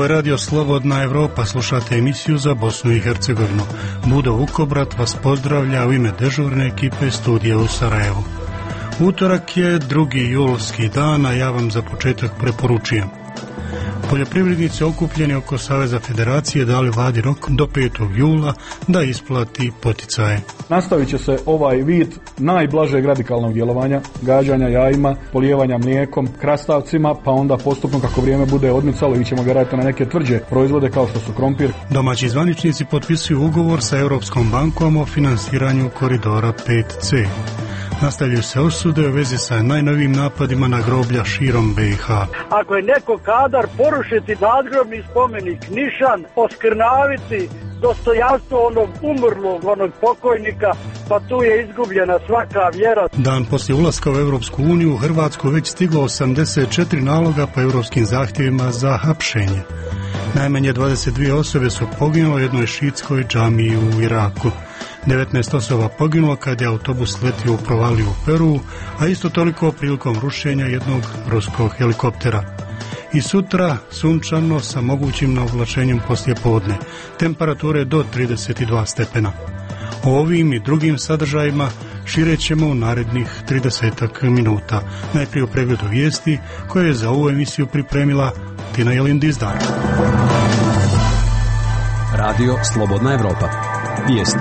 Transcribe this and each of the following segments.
je Radio Slobodna Evropa, slušate emisiju za Bosnu i Hercegovinu. Budo Vukobrat vas pozdravlja u ime dežurne ekipe studija u Sarajevu. Utorak je 2. julski dan, a ja vam za početak preporučujem. Poljoprivrednici okupljeni oko Saveza Federacije dali vladi rok do 5. jula da isplati poticaje. Nastavit će se ovaj vid najblažeg radikalnog djelovanja, gađanja jajima, polijevanja mlijekom, krastavcima, pa onda postupno kako vrijeme bude odmicalo ićemo vjerojatno na neke tvrđe proizvode kao što su krompir. Domaći zvaničnici potpisuju ugovor sa Europskom bankom o finansiranju koridora 5C. Nastavljaju se osude u vezi sa najnovijim napadima na groblja širom BiH. Ako je neko kadar porušiti nadgrobni spomenik, nišan, oskrnaviti dostojanstvo onog umrlog, onog pokojnika, pa tu je izgubljena svaka vjera. Dan poslije ulaska u Europsku uniju u Hrvatsku već stiglo 84 naloga po europskim zahtjevima za hapšenje. Najmanje 22 osobe su poginule u jednoj šiitskoj džamiji u Iraku. 19 osoba poginulo kad je autobus letio u provaliju u Peru, a isto toliko prilikom rušenja jednog ruskog helikoptera. I sutra sunčano sa mogućim navlačenjem poslijepodne, temperature do 32 stepena. O ovim i drugim sadržajima širet ćemo u narednih 30 minuta. Najprije u pregledu vijesti koje je za ovu emisiju pripremila Tina Jelindizdar. Radio Slobodna Evropa. Vijesti.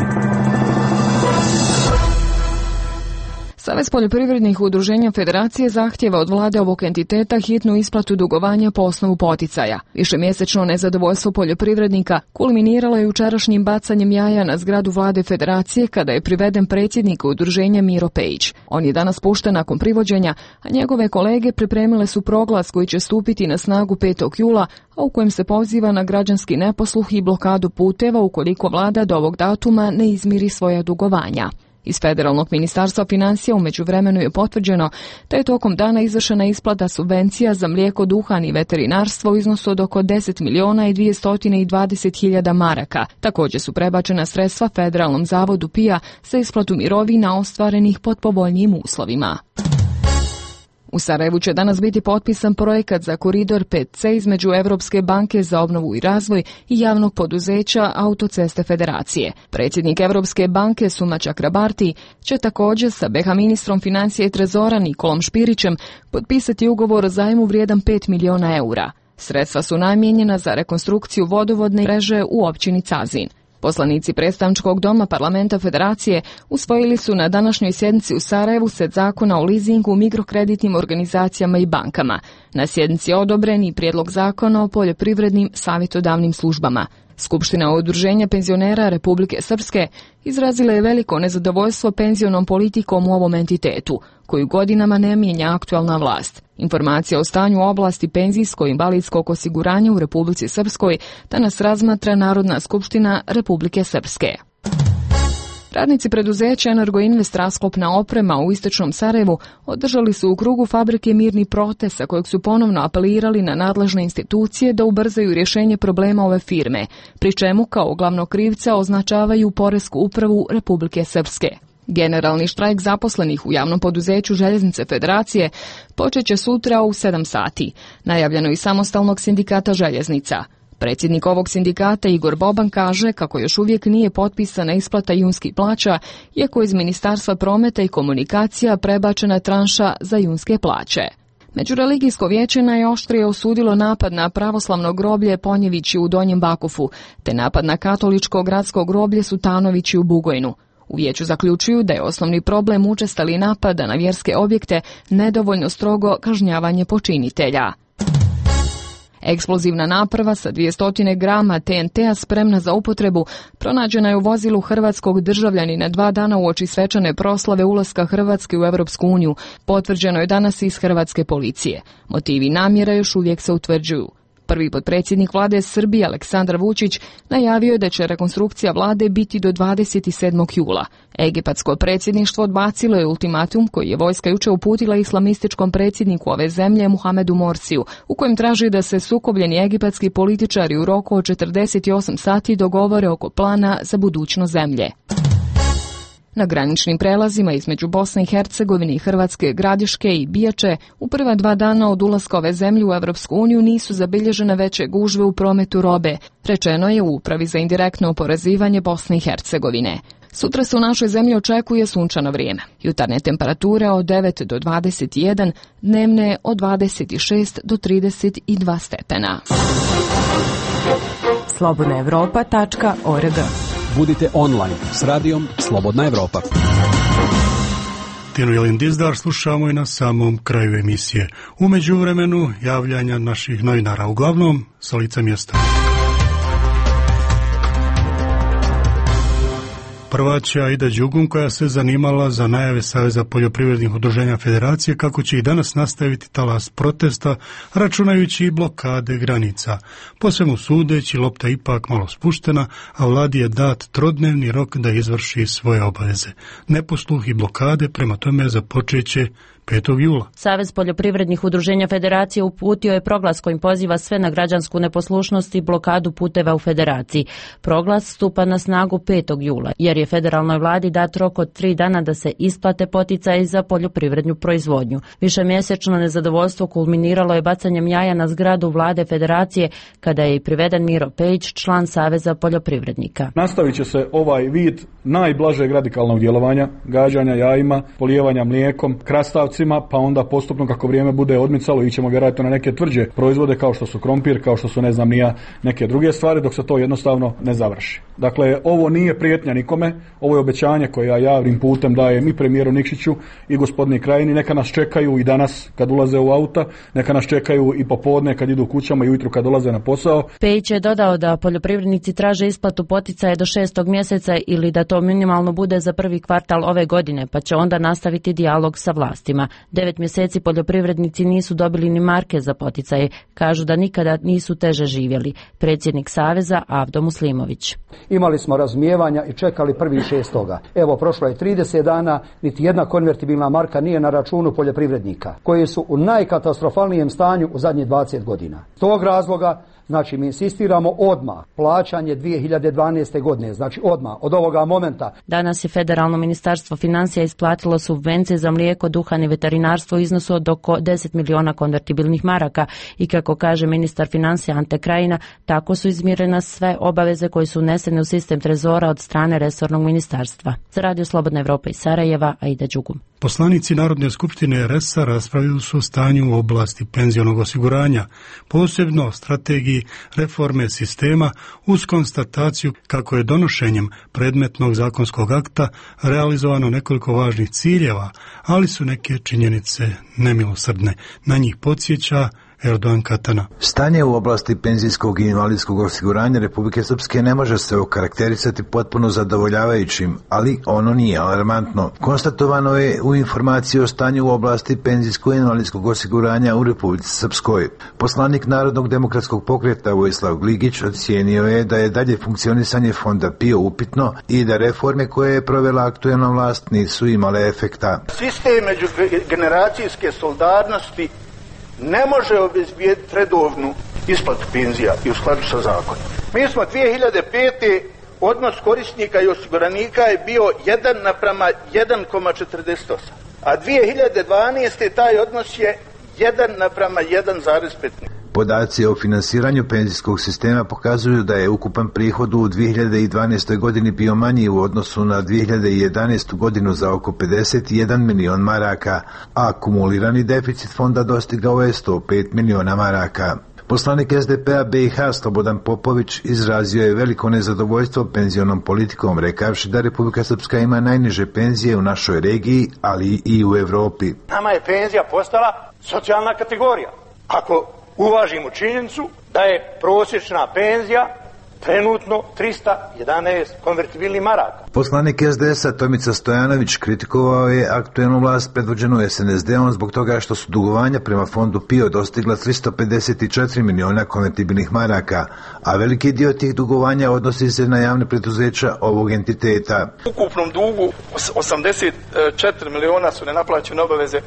Savez poljoprivrednih udruženja Federacije zahtjeva od vlade ovog entiteta hitnu isplatu dugovanja po osnovu poticaja. Višemjesečno nezadovoljstvo poljoprivrednika kulminiralo je jučerašnjim bacanjem jaja na zgradu vlade Federacije kada je priveden predsjednik udruženja Miro Pejić. On je danas pušten nakon privođenja, a njegove kolege pripremile su proglas koji će stupiti na snagu 5. jula, a u kojem se poziva na građanski neposluh i blokadu puteva ukoliko vlada do ovog datuma ne izmiri svoja dugovanja. Iz Federalnog ministarstva financija u međuvremenu je potvrđeno da je tokom dana izvršena isplata subvencija za mlijeko, duhan i veterinarstvo u iznosu od oko 10.220.000 maraka. Također su prebačena sredstva Federalnom zavodu PIA za isplatu mirovina ostvarenih pod povoljnijim uslovima. U Sarajevu će danas biti potpisan projekat za koridor 5C između Europske banke za obnovu i razvoj i javnog poduzeća Autoceste Federacije. Predsjednik Europske banke Suma Čakrabarti će također sa BiH ministrom financija i trezora Nikolom Špirićem potpisati ugovor o zajmu vrijedan 5 milijuna eura. Sredstva su namijenjena za rekonstrukciju vodovodne mreže u općini Cazin. Poslanici predstavničkog doma Parlamenta Federacije usvojili su na današnjoj sjednici u Sarajevu set zakona o lizingu, mikrokreditnim organizacijama i bankama. Na sjednici je odobren i prijedlog zakona o poljoprivrednim savjetodavnim službama. Skupština udruženja penzionera Republike Srpske izrazila je veliko nezadovoljstvo penzionom politikom u ovom entitetu, koju godinama ne mijenja aktualna vlast. Informacija o stanju u oblasti penzijsko-invalidskog osiguranja u Republici Srpskoj danas razmatra Narodna skupština Republike Srpske. Radnici preduzeća Energoinvest Rasklopna oprema u istočnom Sarajevu održali su u krugu fabrike mirni protest sa kojeg su ponovno apelirali na nadležne institucije da ubrzaju rješenje problema ove firme, pri čemu kao glavnog krivca označavaju Poresku upravu Republike Srpske. Generalni štrajk zaposlenih u javnom poduzeću Željeznice Federacije počet će sutra u 7 sati. Najavljeno i samostalnog sindikata željeznica. Predsjednik ovog sindikata Igor Boban kaže kako još uvijek nije potpisana isplata junskih plaća, iako iz Ministarstva prometa i komunikacija prebačena tranša za junske plaće. Međureligijsko vijeće najoštrije osudilo napad na pravoslavno groblje Ponjevići u Donjem Bakufu, te napad na katoličko gradsko groblje Sutanovići u Bugojnu. U vijeću zaključuju da je osnovni problem učestali napada na vjerske objekte nedovoljno strogo kažnjavanje počinitelja. Eksplozivna naprava sa 200 grama TNT-a spremna za upotrebu pronađena je u vozilu hrvatskog državljanina 2 dana uoči svečane proslave ulaska Hrvatske u Europsku uniju. Potvrđeno je danas iz hrvatske policije. Motivi namjera još uvijek se utvrđuju. Prvi potpredsjednik vlade Srbije Aleksandar Vučić najavio je da će rekonstrukcija vlade biti do 27. jula. Egipatsko predsjedništvo odbacilo je ultimatum koji je vojska jučer uputila islamističkom predsjedniku ove zemlje Muhamedu Morsiju, u kojem traži da se sukobljeni egipatski političari u roku od 48 sati dogovore oko plana za budućnost zemlje. Na graničnim prelazima između Bosne i Hercegovine i Hrvatske Gradiške i Bijače u prva 2 dana od ulaska ove zemlje u Evropsku uniju nisu zabilježene veće gužve u prometu robe, rečeno je u Upravi za indirektno oporezivanje Bosne i Hercegovine. Sutra se u našoj zemlji očekuje sunčano vrijeme. Jutarnje temperature od 9 do 21, dnevne od 26 do 32 stepena. slobodnaevropa.org. Budite online s radijom Slobodna Evropa. Tinu Jelin Dizdar slušamo i na samom kraju emisije. U međuvremenu javljanja naših novinara, uglavnom sa lica mjesta. Prva će Aida Đugum, koja se zanimala za najave Saveza poljoprivrednih udruženja Federacije kako će i danas nastaviti talas protesta, računajući i blokade granica. Po svemu sudeći, lopta ipak malo spuštena, a vladi je dat trodnevni rok da izvrši svoje obaveze. Neposluh i blokade prema tome započeće 5. jula. Savez poljoprivrednih udruženja Federacije uputio je proglas kojim poziva sve na građansku neposlušnost i blokadu puteva u Federaciji. Proglas stupa na snagu 5. jula, jer je federalnoj vladi dat rok od 3 dana da se isplate poticaji za poljoprivrednu proizvodnju. Višemjesečno nezadovoljstvo kulminiralo je bacanjem jaja na zgradu vlade Federacije, kada je i priveden Miro Pejić, član Saveza poljoprivrednika. Nastavit će se ovaj vid najblažeg radikalnog djelovanja, gađanja jajima, polijevanja mlijekom, krastavcima, pa onda postupno kako vrijeme bude odmicalo ićemo vjerojatno na neke tvrđe proizvode kao što su krompir, kao što su neke druge stvari, dok se to jednostavno ne završi. Dakle, ovo nije prijetnja nikome, ovo je obećanje koje ja javnim putem dajem i premijeru Nikšiću i gospodinu Krajini. Neka nas čekaju i danas kad ulaze u auta, neka nas čekaju i popodne kad idu kućama i ujutru kad dolaze na posao. Pejić je dodao da poljoprivrednici traže isplatu poticaja do 6. mjeseca ili da to minimalno bude za prvi kvartal ove godine, pa će onda nastaviti dijalog sa vlastima. 9 mjeseci poljoprivrednici nisu dobili ni marke za poticaje. Kažu da nikada nisu teže živjeli. Predsjednik Saveza Avdo Muslimović. Imali smo razumijevanja i čekali 1.6. Evo, prošlo je 30 dana, niti jedna konvertibilna marka nije na računu poljoprivrednika, koji su u najkatastrofalnijem stanju u zadnjih 20 godina. S tog razloga, znači, mi insistiramo odmah plaćanje 2012. godine, znači odmah, od ovoga momenta. Danas je Federalno ministarstvo financija isplatilo subvencije za mlijeko, duhan i veterinarstvo u iznosu od oko 10 miliona konvertibilnih maraka i kako kaže ministar financija Ante Krajina, tako su izmirene sve obaveze koje su unesene u sistem trezora od strane resornog ministarstva. Za Radio Slobodna Evropa iz Sarajeva, Aida Đugum. Poslanici Narodne skupštine RS-a raspravljaju su o stanju u oblasti penzionog osiguranja, posebno o strategiji reforme sistema uz konstataciju kako je donošenjem predmetnog zakonskog akta realizovano nekoliko važnih ciljeva, ali su neke činjenice nemilosrdne. Na njih podsjeća Erdogan Katana. Stanje u oblasti penzijskog i invalidskog osiguranja Republike Srpske ne može se okarakterisati potpuno zadovoljavajućim, ali ono nije alarmantno. Konstatovano je u informaciji o stanju u oblasti penzijskog i invalidskog osiguranja u Republici Srpskoj. Poslanik Narodnog demokratskog pokreta Vojislav Gligić ocijenio je da je dalje funkcionisanje fonda PIO upitno i da reforme koje je provela aktuelna vlast nisu imale efekta. Sistem međugeneracijske solidarnosti ne može obezbijediti redovnu isplatu penzija i u skladu sa zakonom. Mi smo 2005. odnos korisnika i osiguranika je bio 1:1,48, a 2012. taj odnos je 1:1,5. Podaci o finansiranju penzijskog sistema pokazuju da je ukupan prihod u 2012. godini bio manji u odnosu na 2011. godinu za oko 51 milion maraka, a akumulirani deficit fonda dostigao je 105 miliona maraka. Poslanik SDP-a BiH Slobodan Popović izrazio je veliko nezadovoljstvo penzionom politikom, rekavši da Republika Srpska ima najniže penzije u našoj regiji, ali i u Evropi. Nama je penzija postala socijalna kategorija. Ako uvažimo činjenicu da je prosječna penzija trenutno 311 konvertibilnih maraka. Poslanik SDS-a Tomica Stojanović kritikovao je aktuelnu vlast predvođenu SNSD-om zbog toga što su dugovanja prema fondu PIO dostigla 354 miliona konvertibilnih maraka, a veliki dio tih dugovanja odnosi se na javne preduzeća ovog entiteta. U ukupnom dugu 84 miliona su nenaplaćene obaveze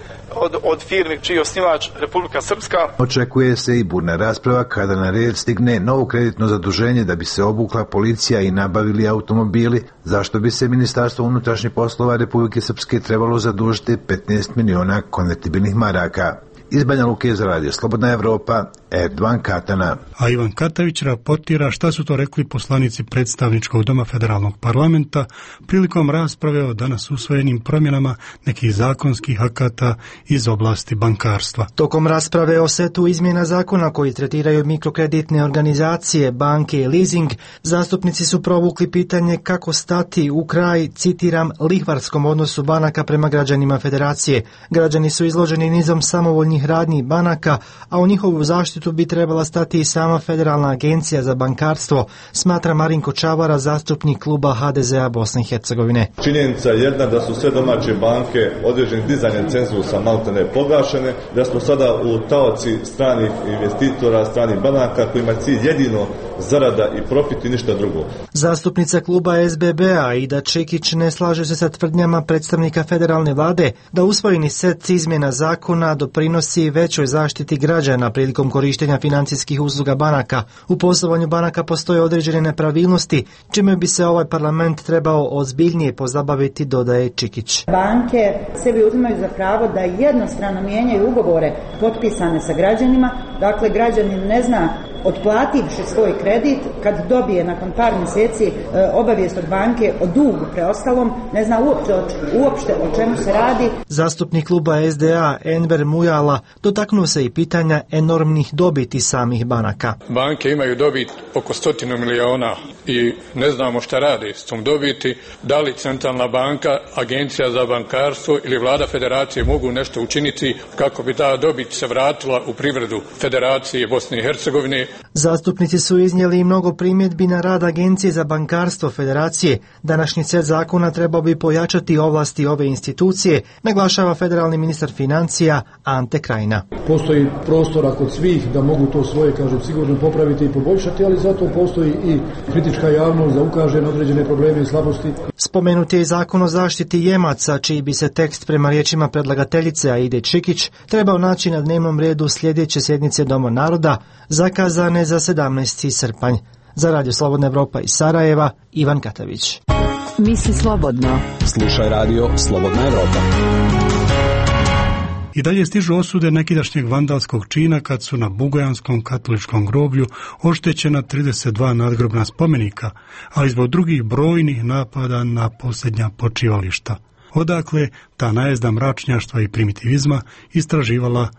od firmi čiji je osnivač Republika Srpska. Očekuje se i burna rasprava kada na red stigne novo kreditno zaduženje da bi se obukla policija i nabavili automobili, zašto bi se Ministarstvo unutrašnjih poslova Republike Srpske trebalo zadužiti 15 miliona konvertibilnih maraka. Iz Banja Luke za radio Slobodna Evropa, Erdovan Katana. A Ivan Katavić raportira šta su to rekli poslanici predstavničkog doma federalnog parlamenta prilikom rasprave o danas usvojenim promjenama nekih zakonskih akata iz oblasti bankarstva. Tokom rasprave o setu izmjena zakona koji tretiraju mikrokreditne organizacije, banke i leasing, zastupnici su provukli pitanje kako stati u kraj, citiram, lihvarskom odnosu banaka prema građanima federacije. Građani su izloženi nizom samovoljnih radnji banaka, a u njihovu zaštitu bi trebala stati i sama Federalna agencija za bankarstvo, smatra Marinko Čavara, zastupnik kluba HDZ-a Bosne i Hercegovine. Činjenica je jedna da su sve domaće banke određenim dizanjem cenzusa maltene proglašene, da smo sada u taoci stranih investitora, stranih banaka kojima je cilj jedino zarada i profit i ništa drugo. Zastupnica kluba SBB-a Ida Čekić ne slaže se sa tvrdnjama predstavnika federalne vlade da usvojeni set izmjena zakona doprinosi većoj zaštiti građana prilikom korištenja financijskih usluga banaka. U poslovanju banaka postoje određene nepravilnosti, čime bi se ovaj parlament trebao ozbiljnije pozabaviti, dodaje Čikić. Banke sebi uzimaju za pravo da jednostrano mijenjaju ugovore potpisane sa građanima, dakle građanin ne zna, otplativši svoj kredit, kad dobije nakon par mjeseci obavijest od banke o dugu preostalom, ne zna uopšte o čemu se radi. Zastupnik kluba SDA Enver Mujala dotaknuo se i pitanja enormnih dobiti samih banaka. Banke imaju dobit oko 100 miliona i ne znamo šta radi s tom dobiti, da li centralna banka, agencija za bankarstvo ili vlada federacije mogu nešto učiniti kako bi ta dobit se vratila u privredu Federacije Bosne i Hercegovine. Zastupnici su iznijeli i mnogo primjedbi na rad Agencije za bankarstvo federacije. Današnji set zakona trebao bi pojačati ovlasti ove institucije, naglašava federalni ministar financija Ante Krajina. Postoji prostora kod svih da mogu to svoje, kažem, sigurno popraviti i poboljšati, ali zato postoji i kritička javnost da ukaže na određene probleme i slabosti. Spomenut je i zakon o zaštiti jemaca, čiji bi se tekst prema riječima predlagateljice Aide Čikić trebao naći na dnevnom redu sljedeće sjednice Doma naroda, zakazane za 17. srpanj. Za radio Slobodna Evropa iz Sarajeva, Ivan Katavić. Misli slobodno. Slušaj radio Slobodna Evropa. I dalje stižu osude nekidašnjeg vandalskog čina kad su na Bugojanskom katoličkom groblju oštećena 32 nadgrobna spomenika, ali zbog drugih brojnih napada na posljednja počivališta. Odakle ta najezda mračnjaštva i primitivizma istraživala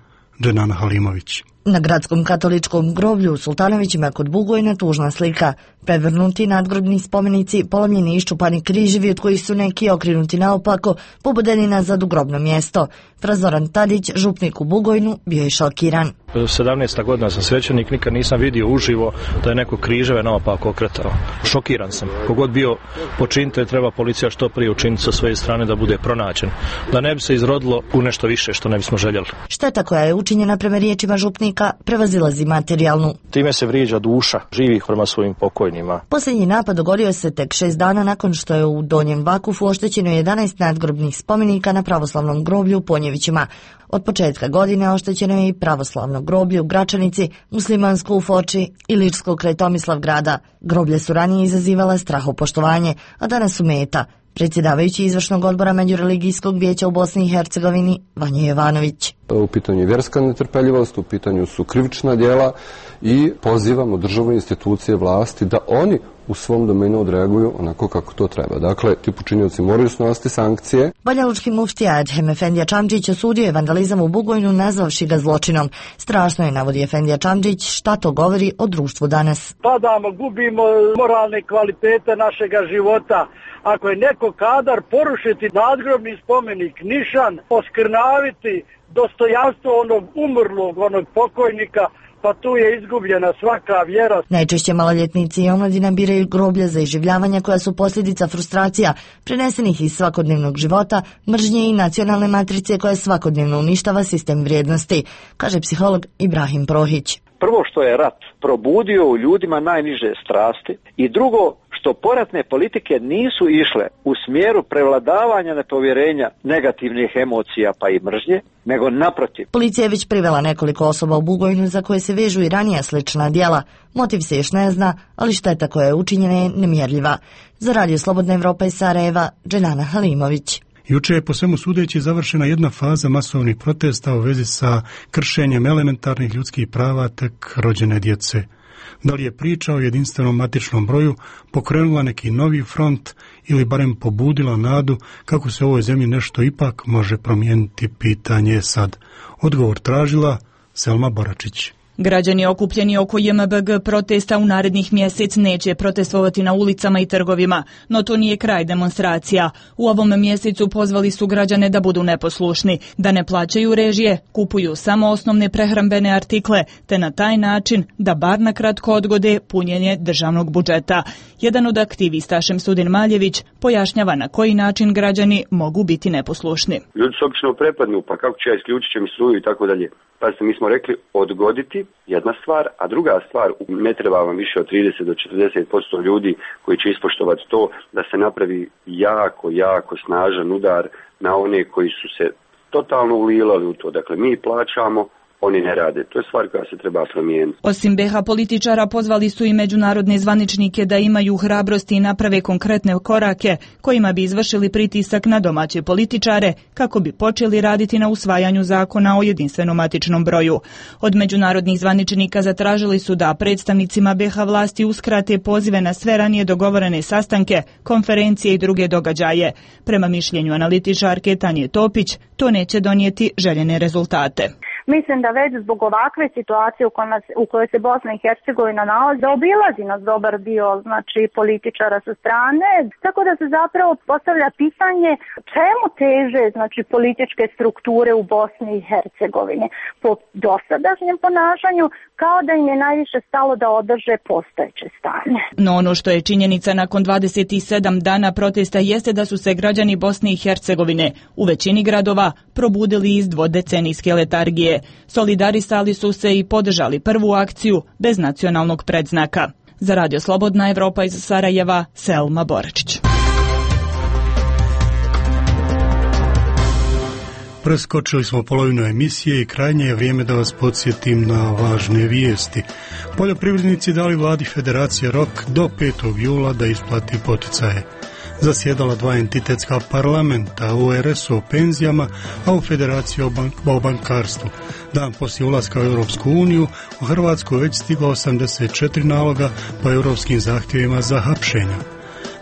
Dženana Halimović. Na gradskom katoličkom groblju u Sultanovićima kod Bugojna tužna slika. Prevrnuti nadgrobni spomenici, polomljeni i iščupani križevi od kojih su neki okrenuti naopako, pobodeni nazad u grobno mjesto. Frazoran Tadić, župnik u Bugojnu, bio je šokiran. 17. godina sam svećenik, nikad nisam vidio uživo da je neko križeve naopako okretao. Šokiran sam. Kogod bio počinitelj, treba policija što prije učiniti sa svoje strane da bude pronađen. Da ne bi se izrodilo u nešto više što ne bismo željeli. Šteta koja je učinjena prema riječima župnika prevazilazi materijalnu. Time se vrijeđa duša živih prema svojim pokojnima. Posljednji napad dogodio se tek 6 dana nakon što je u Donjem Vakufu oštećeno 11 nadgrobnih spomenika na pravoslavnom groblju u Ponjevićima. Od početka godine oštećeno je i pravoslavno groblje u Gračanici, muslimansko u Foči i ličko kraj Tomislavgrada. Groblje su ranije izazivala strahopoštovanje, a danas su meta. Predsjedavajući izvršnog odbora Međureligijskog vijeća u Bosni i Hercegovini, Vanja Jovanović. U pitanju je vjerska netrpeljivost, u pitanju su krivična djela i pozivamo državne institucije vlasti da oni u svom domenu odreaguju onako kako to treba. Dakle, ti počinioci moraju snositi sankcije. Banjalučki muftija Edhem Efendija Čamčić osudio je vandalizam u Bugojnu nazvavši ga zločinom. Strašno je, navodi Efendija Čamčić, šta to govori o društvu danas. Padamo, gubimo moralne kvalitete našega života. Ako je neko kadar porušiti nadgrobni spomenik, nišan, oskrnaviti dostojanstvo onog umrlog, onog pokojnika, pa tu je izgubljena svaka vjera. Najčešće maloljetnici i omladina biraju groblja za iživljavanja koja su posljedica frustracija prenesenih iz svakodnevnog života, mržnje i nacionalne matrice koja svakodnevno uništava sistem vrijednosti, kaže psiholog Ibrahim Prohić. Prvo što je rat probudio u ljudima najniže strasti i drugo što poratne politike nisu išle u smjeru prevladavanja nepovjerenja negativnih emocija pa i mržnje, nego naprotiv. Policija je već privela nekoliko osoba u Bugojnu za koje se vežu i ranija slična djela. Motiv se još ne zna, ali šteta koja je učinjena je nemjerljiva. Za Radio Slobodna Evropa iz Sarajeva, Dženana Halimović. Juče je po svemu sudeći završena jedna faza masovnih protesta u vezi sa kršenjem elementarnih ljudskih prava tek rođene djece. Da li je priča o jedinstvenom matičnom broju pokrenula neki novi front ili barem pobudila nadu kako se u ovoj zemlji nešto ipak može promijeniti, pitanje je sad. Odgovor tražila Selma Boračić. Građani okupljeni oko JMBG protesta u narednih mjesec neće protestovati na ulicama i trgovima, no to nije kraj demonstracija. U ovom mjesecu pozvali su građane da budu neposlušni, da ne plaćaju režije, kupuju samo osnovne prehrambene artikle, te na taj način da bar na kratko odgode punjenje državnog budžeta. Jedan od aktivista, Šemsudin Maljević, pojašnjava na koji način građani mogu biti neposlušni. Ljudi su obično prepadnu, pa kako će ja isključit će mi struju i tako dalje. Pa mi smo rekli odgoditi, jedna stvar, a druga stvar, ne treba vam više od 30 do 40% ljudi koji će ispoštovati to da se napravi jako snažan udar na one koji su se totalno ulilali u to. Dakle, mi plaćamo, oni ne rade. To je stvar koja se treba promijeniti. Osim BH političara, pozvali su i međunarodne zvaničnike da imaju hrabrosti i naprave konkretne korake kojima bi izvršili pritisak na domaće političare kako bi počeli raditi na usvajanju zakona o jedinstvenom matičnom broju. Od međunarodnih zvaničnika zatražili su da predstavnicima BH vlasti uskrate pozive na sve ranije dogovorene sastanke, konferencije i druge događaje. Prema mišljenju analitičarke Tanje Topić, to neće donijeti željene rezultate. Mislim da već zbog ovakve situacije u kojoj se Bosna i Hercegovina nalazi, da obilazi nas dobar dio političara sa strane, tako da se zapravo postavlja pitanje čemu teže političke strukture u Bosni i Hercegovini po dosadašnjem ponašanju, kao da im je najviše stalo da održe postojeće stanje. No ono što je činjenica nakon 27 dana protesta jeste da su se građani Bosne i Hercegovine u većini gradova probudili iz dvodecenijske letargije. Solidarisali su se i podržali prvu akciju bez nacionalnog predznaka. Za Radio Slobodna Evropa iz Sarajeva, Selma Boračić. Preskočili smo polovinu emisije i krajnje je vrijeme da vas podsjetim na važne vijesti. Poljoprivrednici dali vladi Federacije rok do 5. jula da isplati poticaje. Zasjedala dva entitetska parlamenta, u RS o penzijama, a u Federaciji o bankarstvu. Dan poslije ulaska u Europsku uniju, u Hrvatsku već stiglo 84 naloga po europskim zahtjevima za hapšenja.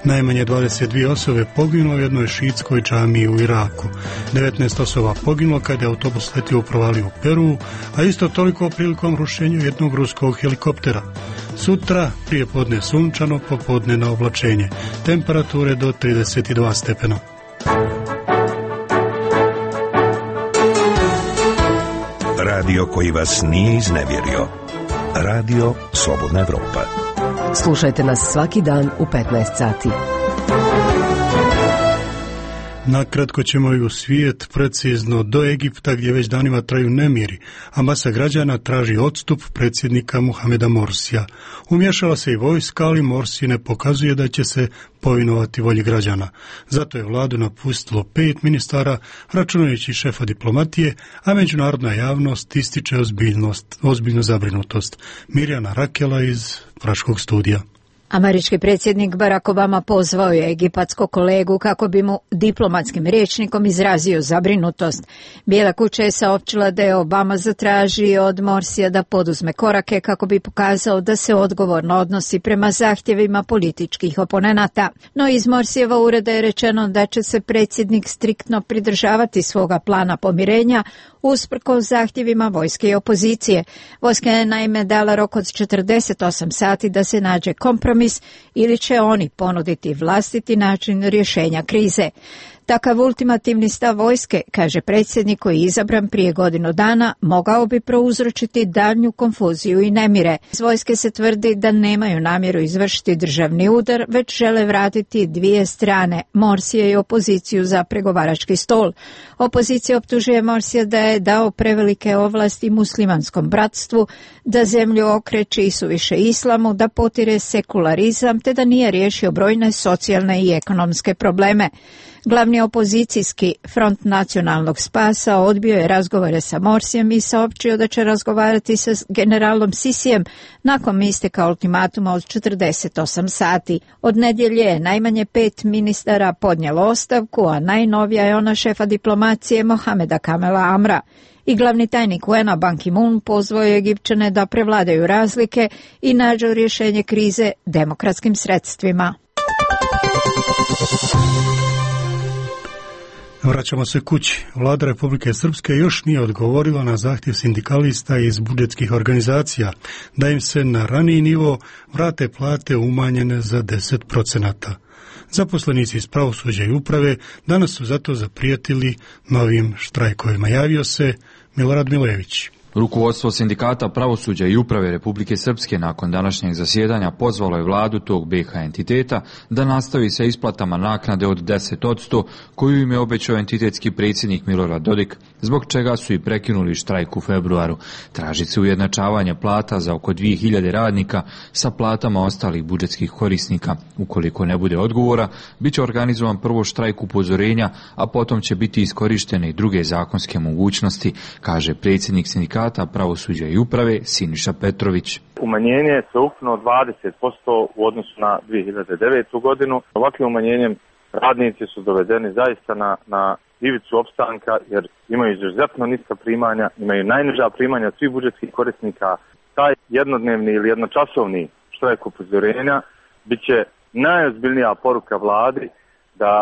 Najmanje 22 osobe poginulo u jednoj šiitskoj džamiji u Iraku. 19 osoba poginulo kada je autobus letio u provaliju u Peru, a isto toliko prilikom rušenja jednog ruskog helikoptera. Sutra prije podne sunčano, popodne na oblačenje. Temperature do 32 stepena. Radio koji vas nije iznevjerio. Radio Slobodna Evropa. Slušajte nas svaki dan u 15 sati. Nakratko ćemo i u svijet, precizno do Egipta gdje već danima traju nemiri, a masa građana traži odstup predsjednika Muhameda Morsija. Umješala se i vojska, ali Morsi ne pokazuje da će se povinovati volji građana. Zato je vladu napustilo 5 ministara, računajući šefa diplomatije, a međunarodna javnost ističe ozbiljnu zabrinutost. Mirjana Rakela iz Praškog studija. Američki predsjednik Barack Obama pozvao je egipatskog kolegu kako bi mu diplomatskim rječnikom izrazio zabrinutost. Bijela kuća je saopćila da je Obama zatražio od Morsija da poduzme korake kako bi pokazao da se odgovorno odnosi prema zahtjevima političkih oponenata. No iz Morsijeva ureda je rečeno da će se predsjednik striktno pridržavati svoga plana pomirenja usprkos zahtjevima vojske i opozicije. Vojska je naime dala rok od 48 sati da se nađe kompromis ili će oni ponuditi vlastiti način rješenja krize. Takav ultimativni stav vojske, kaže predsjednik koji je izabran prije godinu dana, mogao bi prouzročiti daljnju konfuziju i nemire. Iz vojske se tvrdi da nemaju namjeru izvršiti državni udar, već žele vratiti dvije strane, Morsije i opoziciju za pregovarački stol. Opozicija optužuje Morsija da je dao prevelike ovlasti muslimanskom bratstvu, da zemlju okreće isuviše islamu, da potire sekularizam te da nije riješio brojne socijalne i ekonomske probleme. Glavni opozicijski Front nacionalnog spasa odbio je razgovore sa Morsijem i saopćio da će razgovarati sa generalom Sisijem nakon isteka ultimatuma od 48 sati. Od nedjelje je najmanje 5 ministara podnijelo ostavku, a najnovija je ona šefa diplomacije Mohameda Kamela Amra. I glavni tajnik UN-a Ban Ki-moon pozvao je Egipćane da prevladaju razlike i nađu rješenje krize demokratskim sredstvima. Vraćamo se kući. Vlada Republike Srpske još nije odgovorila na zahtjev sindikalista iz budžetskih organizacija da im se na raniji nivo vrate plate umanjene za 10%. Zaposlenici iz pravosuđa i uprave danas su zato zaprijetili novim štrajkovima. Javio se Milorad Milević. Rukovodstvo sindikata pravosuđa i uprave Republike Srpske nakon današnjeg zasjedanja pozvalo je vladu tog BiH entiteta da nastavi sa isplatama naknade od 10% koju im je obećao entitetski predsjednik Milorad Dodik, zbog čega su i prekinuli štrajk u februaru. Traži se ujednačavanje plata za oko 2000 radnika sa platama ostalih budžetskih korisnika. Ukoliko ne bude odgovora, bit će organizovan prvo štrajk upozorenja, a potom će biti iskorištene i druge zakonske mogućnosti, kaže predsjednik sindikata pravosuđa i uprave Siniša Petrović. Umanjenje je sveukupno 20% u odnosu na 2009. godinu. Ovakvim umanjenjem radnici su dovedeni zaista na ivicu opstanka jer imaju izuzetno niska primanja, imaju najniža primanja svih budžetskih korisnika. Taj jednodnevni ili jednočasovni štrajk upozorenja bit će najozbiljnija poruka vladi da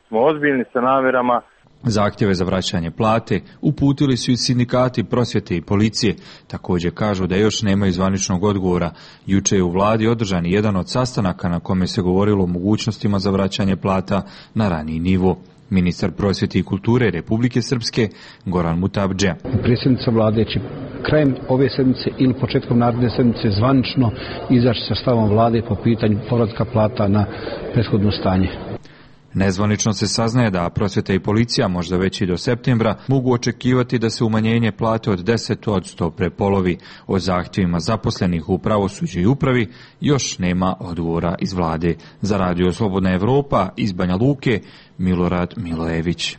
smo ozbiljni sa namjerama. Zahtjeve za vraćanje plate uputili su i sindikati prosvjete i policije. Također kažu da još nemaju zvaničnog odgovora. Juče je u vladi održan jedan od sastanaka na kome se govorilo o mogućnostima za vraćanje plata na raniji nivo. Ministar prosvjete i kulture Republike Srpske Goran Mutabdžija. Predsjednica vlade će krajem ove sedmice ili početkom naredne sedmice zvanično izaći sa stavom vlade po pitanju povratka plata na prethodno stanje. Nezvanično se saznaje da prosvjeta i policija možda već i do septembra mogu očekivati da se umanjenje plate od 10% prepolovi. O zahtjevima zaposlenih u pravosuđu i upravi još nema odgovora iz vlade. Za Radio Slobodna Evropa iz Banja Luke, Milorad Milojević.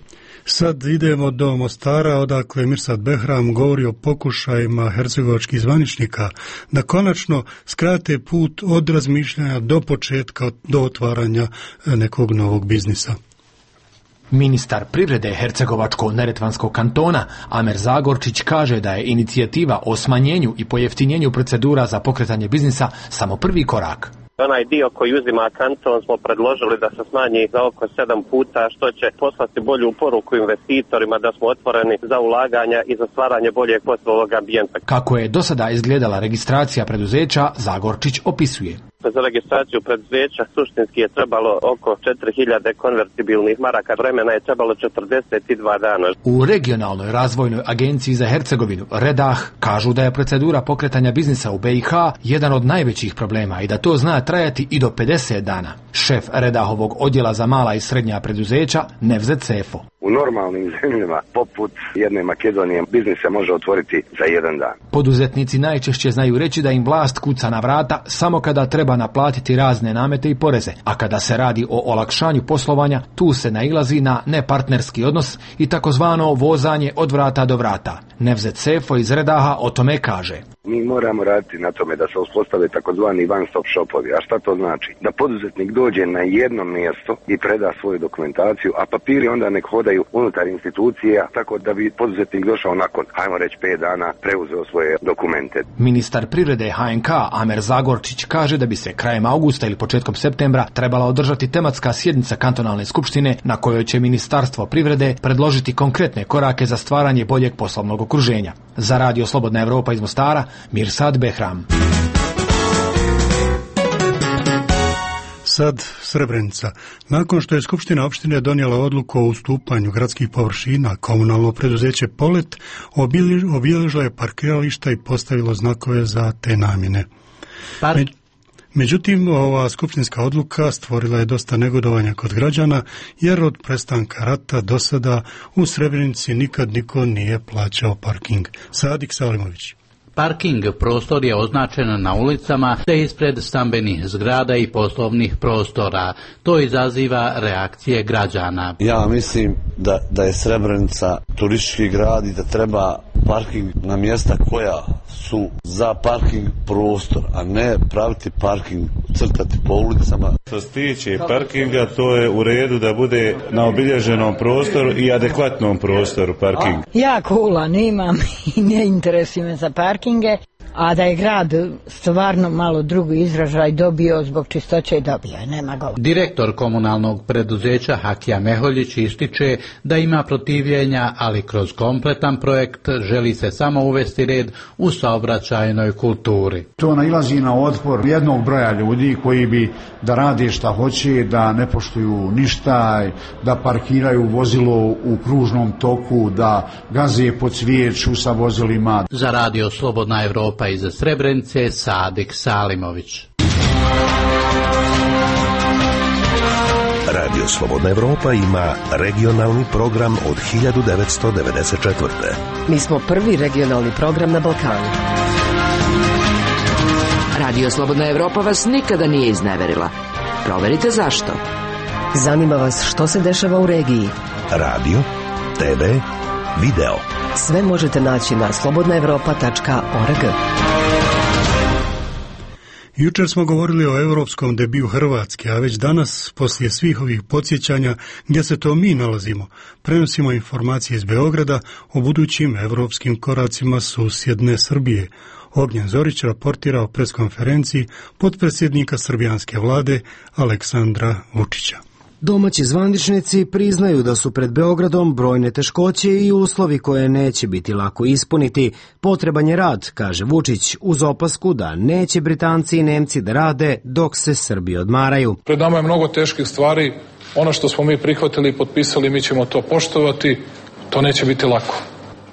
Sad idemo do Mostara, odakle Mirsad Behram govori o pokušajima hercegovačkih zvaničnika da konačno skrate put od razmišljanja do početka, do otvaranja nekog novog biznisa. Ministar privrede Hercegovačko-neretvanskog kantona Amer Zagorčić kaže da je inicijativa o smanjenju i pojeftinjenju procedura za pokretanje biznisa samo prvi korak. Onaj dio koji uzima kanton smo predložili da se smanji za oko 7 puta, što će poslati bolju poruku investitorima da smo otvoreni za ulaganja i za stvaranje boljeg poslovnog ambijenta. Kako je do sada izgledala registracija preduzeća, Zagorčić opisuje. Za registraciju preduzeća suštinski je trebalo oko 4000 konvertibilnih maraka, vremena je trebalo 42 dana. U regionalnoj razvojnoj agenciji za Hercegovinu, Redah, kažu da je procedura pokretanja biznisa u BiH jedan od najvećih problema i da to zna trajati i do 50 dana. Šef Redahovog odjela za mala i srednja preduzeća, Nevzet Sefo. U normalnim zemljama, poput jedne Makedonije, biznis se može otvoriti za jedan dan. Poduzetnici najčešće znaju reći da im vlast kuca na vrata samo kada treba naplatiti razne namete i poreze, a kada se radi o olakšanju poslovanja, tu se nailazi na nepartnerski odnos i takozvano vozanje od vrata do vrata. Nevzet Sefo iz Redaha o tome kaže. Mi moramo raditi na tome da se uspostave takozvani one-stop shopovi. A šta to znači? Da poduzetnik dođe na jedno mjesto i preda svoju dokumentaciju, a papiri onda nek hodaju unutar institucija, tako da bi poduzetnik došao nakon, hajmo reći, 5 dana preuzeo svoje dokumente. Ministar privrede HNK Amer Zagorčić kaže da bi se krajem augusta ili početkom septembra trebala održati tematska sjednica kantonalne skupštine na kojoj će Ministarstvo privrede predložiti konkretne korake za stvaranje boljeg poslovnog okruženja. Za Radio Slobodna Evropa iz Mostara, Mirsad Behram. sad Srebrenica. Nakon što je Skupština opštine donijela odluku o ustupanju gradskih površina, komunalno preduzeće Polet obilježilo je parkirališta i postavilo znakove za te namjene. Međutim, ova skupštinska odluka stvorila je dosta negodovanja kod građana, jer od prestanka rata do sada u Srebrenici nikad niko nije plaćao parking. Sadik Salimović. Parking prostor je označen na ulicama te ispred stambenih zgrada i poslovnih prostora. To izaziva reakcije građana. Ja mislim da je Srebrenica turistički grad i da treba parking na mjesta koja su za parking prostor, a ne praviti parking, crtati po ulicama. Što se tiče parkinga, to je u redu da bude na obilježenom prostoru i adekvatnom prostoru parking. Ja kulan imam i ne interesuje me za parkinge, a da je grad stvarno malo drugi izražaj dobio zbog čistoće dobio, nema govora. Direktor komunalnog preduzeća Hakija Meholjić ističe da ima protivljenja, ali kroz kompletan projekt želi se samo uvesti red u saobraćajnoj kulturi. To nailazi na otpor jednog broja ljudi koji bi da rade šta hoće, da ne poštuju ništa, da parkiraju vozilo u kružnom toku, da gaze po cvijeću sa vozilima. Za Radio Slobodna Evropa iz Srebrenice, Sadik Salimović. Radio Slobodna Evropa ima regionalni program od 1994. Mi smo prvi regionalni program na Balkanu. Radio Slobodna Evropa vas nikada nije izneverila. Proverite zašto. Zanima vas što se dešava u regiji. Radio, TV, video. Sve možete naći na slobodnaevropa.org. Jučer smo govorili o europskom debiju Hrvatske, a već danas, poslije svih ovih podsjećanja gdje se to mi nalazimo, prenosimo informacije iz Beograda o budućim europskim koracima susjedne Srbije. Ognjen Zorić raportira o preskonferenciji potpredsjednika srbijanske vlade Aleksandra Vučića. Domaći zvaničnici priznaju da su pred Beogradom brojne teškoće i uslovi koje neće biti lako ispuniti. Potreban je rad, kaže Vučić, uz opasku da neće Britanci i Nemci da rade dok se Srbi odmaraju. Pred nama je mnogo teških stvari. Ono što smo mi prihvatili i potpisali, mi ćemo to poštovati. To neće biti lako.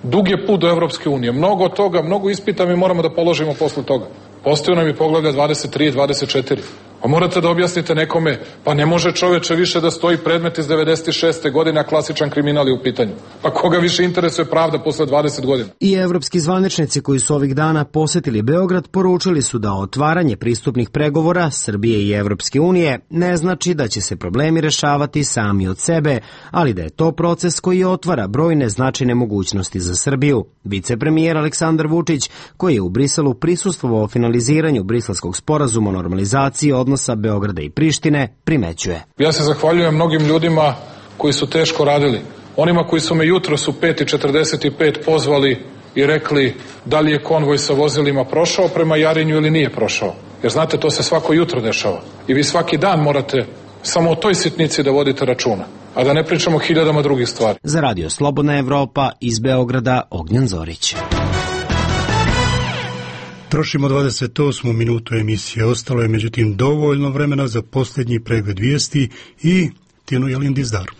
Dug je put do Evropske unije. Mnogo toga, mnogo ispita mi moramo da položimo posle toga. Postoje nam i poglavlja 23 i 24. A morate da objasnite nekome, pa ne može čoveče više da stoji predmet iz 96. godine, a klasičan kriminal je u pitanju. Pa koga više interesuje pravda posle 20 godina? I evropski zvaničnici koji su ovih dana posjetili Beograd poručili su da otvaranje pristupnih pregovora Srbije i Evropske unije ne znači da će se problemi rešavati sami od sebe, ali da je to proces koji otvara brojne značajne mogućnosti za Srbiju. Vicepremijer Aleksandar Vučić, koji je u Briselu prisustvovao finaliziranju Briselskog sporazuma o normalizaciji odnosa Beograda i Prištine, primećuje. Ja se zahvaljujem mnogim ljudima koji su teško radili. Onima koji su me jutros u 5:45 pozvali i rekli da li je konvoj sa vozilima prošao prema Jarinju ili nije prošao. Jer znate, to se svako jutro dešava. I vi svaki dan morate samo o toj sitnici da vodite računa. A da ne pričamo hiljadama drugih stvari. Za Radio Slobodna Evropa iz Beograda, Ognjen Zorić. Trošimo 28. minutu emisije. Ostalo je međutim dovoljno vremena za posljednji pregled vijesti i Tinu Jelindizdaru.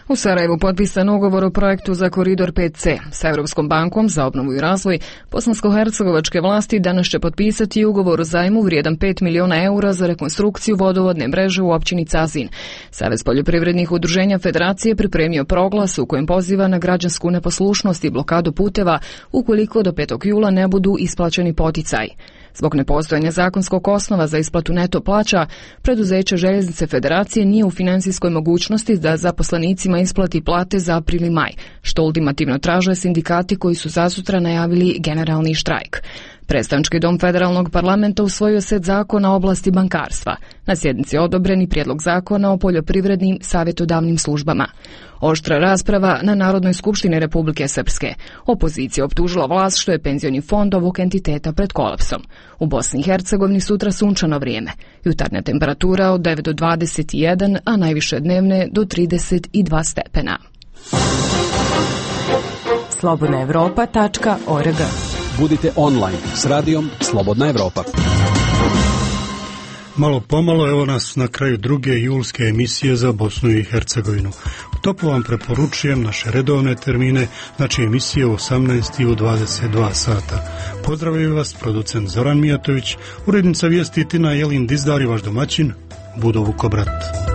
U Sarajevu potpisan ugovor o projektu za koridor 5C. Sa Europskom bankom za obnovu i razvoj bosansko-hercegovačke vlasti danas će potpisati ugovor o zajmu vrijedan 5 miliona eura za rekonstrukciju vodovodne mreže u općini Cazin. Savez poljoprivrednih udruženja Federacije pripremio proglas u kojem poziva na građansku neposlušnost i blokadu puteva ukoliko do 5. jula ne budu isplaćeni poticaji. Zbog nepostojanja zakonskog osnova za isplatu neto plaća, preduzeće Željeznice Federacije nije u financijskoj mogućnosti da zaposlenicima isplati plate za april i maj, što ultimativno traže sindikati koji su zasutra najavili generalni štrajk. Predstavnički dom Federalnog parlamenta usvojio set zakona o oblasti bankarstva. Na sjednici je odobreni prijedlog zakona o poljoprivrednim savjetodavnim službama. Oštra rasprava na Narodnoj skupštini Republike Srpske. Opozicija optužila vlast što je penzioni fond ovog entiteta pred kolapsom. U Bosni i Hercegovini sutra sunčano vrijeme. Jutarnja temperatura od 9 do 21, a najviše dnevne do 32 stepena. slobodnaevropa.org. Budite online s radijom Slobodna Evropa. Malo pomalo, evo nas na kraju druge julske emisije za Bosnu i Hercegovinu. Toplo vam preporučujem naše redovne termine, znači emisije u 18 i u 22 sata. Pozdravljaju vas producent Zoran Mijatović, urednica vijesti Tina Jelin Dizdar i vaš domaćin Budo Vukobrat.